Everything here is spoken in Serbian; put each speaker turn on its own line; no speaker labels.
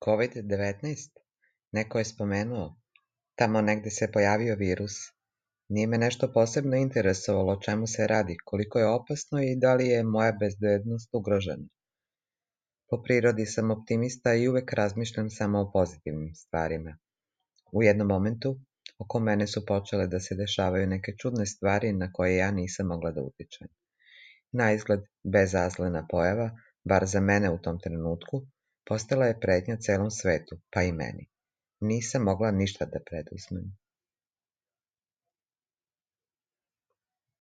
COVID-19? Neko je spomenuo. Tamo negde se pojavio virus. Nije me nešto posebno interesovalo o čemu se radi, koliko je opasno i da li je moja bezbednost ugrožena. Po prirodi sam optimista i uvek razmišljam samo o pozitivnim stvarima. U jednom momentu, oko mene su počele da se dešavaju neke čudne stvari na koje ja nisam mogla da utičem. Naizgled, bezazlena pojava, bar za mene u tom trenutku, postala je pretnja celom svetu, pa i meni. Nisam mogla ništa da preduzmem.